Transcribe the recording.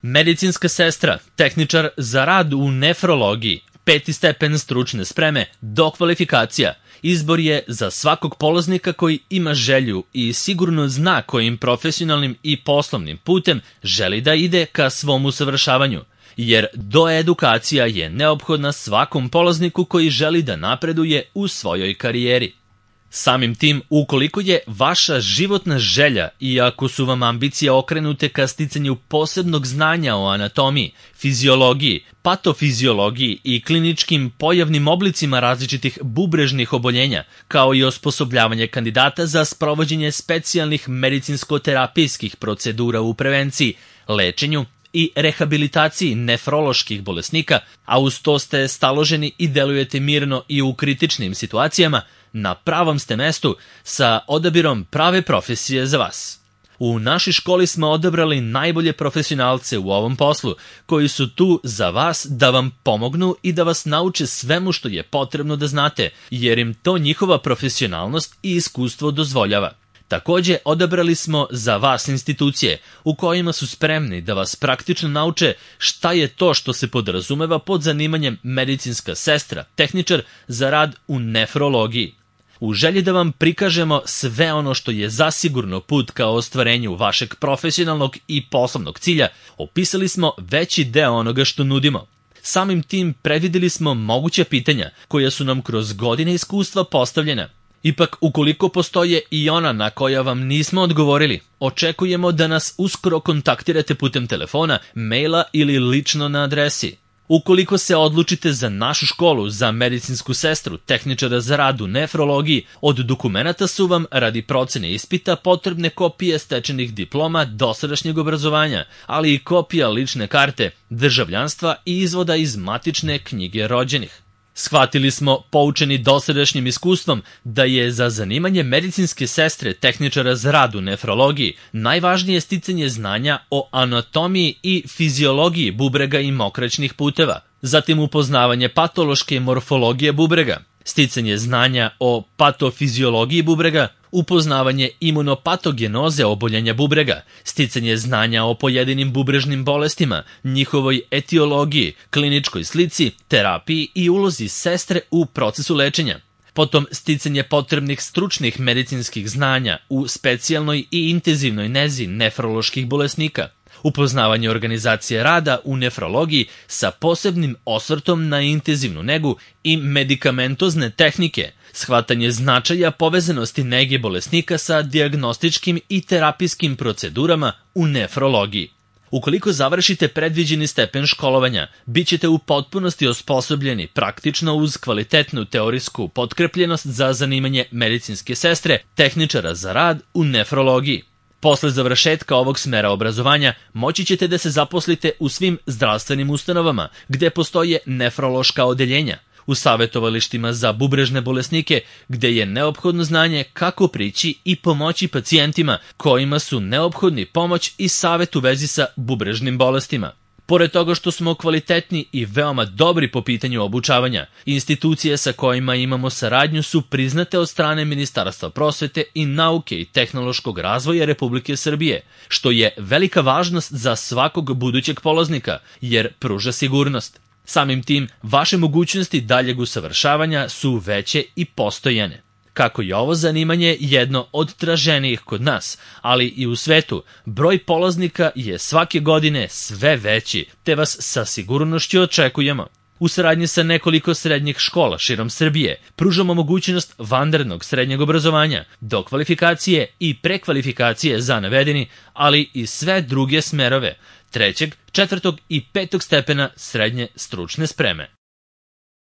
Medicinska sestra, tehničar za rad u nefrologiji, 5. stepen stručne spreme, dokvalifikacija. Izbor je za svakog polaznika koji ima želju i sigurno zna kojim profesionalnim i poslovnim putem želi da ide ka svom usavršavanju, jer doedukacija je neophodna svakom polazniku koji želi da napreduje u svojoj karijeri. Samim tim, ukoliko je vaša životna želja i ako su vam ambicije okrenute ka sticanju posebnog znanja o anatomiji, fiziologiji, patofiziologiji i kliničkim pojavnim oblicima različitih bubrežnih oboljenja, kao i osposobljavanje kandidata za sprovođenje specijalnih medicinsko-terapijskih procedura u prevenciji, lečenju i rehabilitaciji nefroloških bolesnika, a uz to ste staloženi i delujete mirno i u kritičnim situacijama, na pravom ste mestu sa odabirom prave profesije za vas. U našoj školi smo odabrali najbolje profesionalce u ovom poslu, koji su tu za vas da vam pomognu i da vas nauče svemu što je potrebno da znate, jer im to njihova profesionalnost i iskustvo dozvoljava. Takođe, odabrali smo za vas institucije u kojima su spremni da vas praktično nauče šta je to što se podrazumeva pod zanimanjem medicinska sestra, tehničar za rad u nefrologiji. U želji da vam prikažemo sve ono što je zasigurno put ka ostvarenju vašeg profesionalnog i poslovnog cilja, opisali smo veći deo onoga što nudimo. Samim tim predvideli smo moguća pitanja koja su nam kroz godine iskustva postavljena. Ipak, ukoliko postoje i ona na koja vam nismo odgovorili, očekujemo da nas uskoro kontaktirate putem telefona, maila ili lično na adresi. Ukoliko se odlučite za našu školu za medicinsku sestru, tehničara za rad u nefrologiji, od dokumenata su vam radi procene ispita potrebne kopije stečenih diploma dosadašnjeg obrazovanja, ali i kopija lične karte, državljanstva i izvoda iz matične knjige rođenih. Shvatili smo, poučeni dosadašnjim iskustvom, da je za zanimanje medicinske sestre tehničara za rad u nefrologiji najvažnije sticanje znanja o anatomiji i fiziologiji bubrega i mokraćnih puteva, zatim upoznavanje patološke morfologije bubrega, sticanje znanja o patofiziologiji bubrega, upoznavanje imunopatogenoze oboljenja bubrega, sticanje znanja o pojedinim bubrežnim bolestima, njihovoj etiologiji, kliničkoj slici, terapiji i ulozi sestre u procesu lečenja. Potom sticanje potrebnih stručnih medicinskih znanja u specijalnoj i intenzivnoj nezi nefroloških bolesnika, upoznavanje organizacije rada u nefrologiji sa posebnim osvrtom na intenzivnu negu i medikamentozne tehnike, shvatanje značaja povezanosti nege bolesnika sa dijagnostičkim i terapijskim procedurama u nefrologiji. Ukoliko završite predviđeni stepen školovanja, bit ćete u potpunosti osposobljeni praktično uz kvalitetnu teorijsku potkrepljenost za zanimanje medicinske sestre, tehničara za rad u nefrologiji. Posle završetka ovog smera obrazovanja moći ćete da se zaposlite u svim zdravstvenim ustanovama gde postoje nefrološka odeljenja, u savjetovalištima za bubrežne bolesnike gde je neophodno znanje kako prići i pomoći pacijentima kojima su neophodni pomoć i savjet u vezi sa bubrežnim bolestima. Pored toga što smo kvalitetni i veoma dobri po pitanju obučavanja, institucije sa kojima imamo saradnju su priznate od strane Ministarstva prosvete i nauke i tehnološkog razvoja Republike Srbije, što je velika važnost za svakog budućeg polaznika, jer pruža sigurnost. Samim tim, vaše mogućnosti daljeg usavršavanja su veće i postojane. Kako je ovo zanimanje jedno od traženijih kod nas, ali i u svetu, broj polaznika je svake godine sve veći, te vas sa sigurnošću očekujemo. U saradnji sa nekoliko srednjih škola širom Srbije pružamo mogućnost vanrednog srednjeg obrazovanja, dokvalifikacije i prekvalifikacije za navedeni, ali i sve druge smerove, 3., 4. i 5. stepena srednje stručne spreme.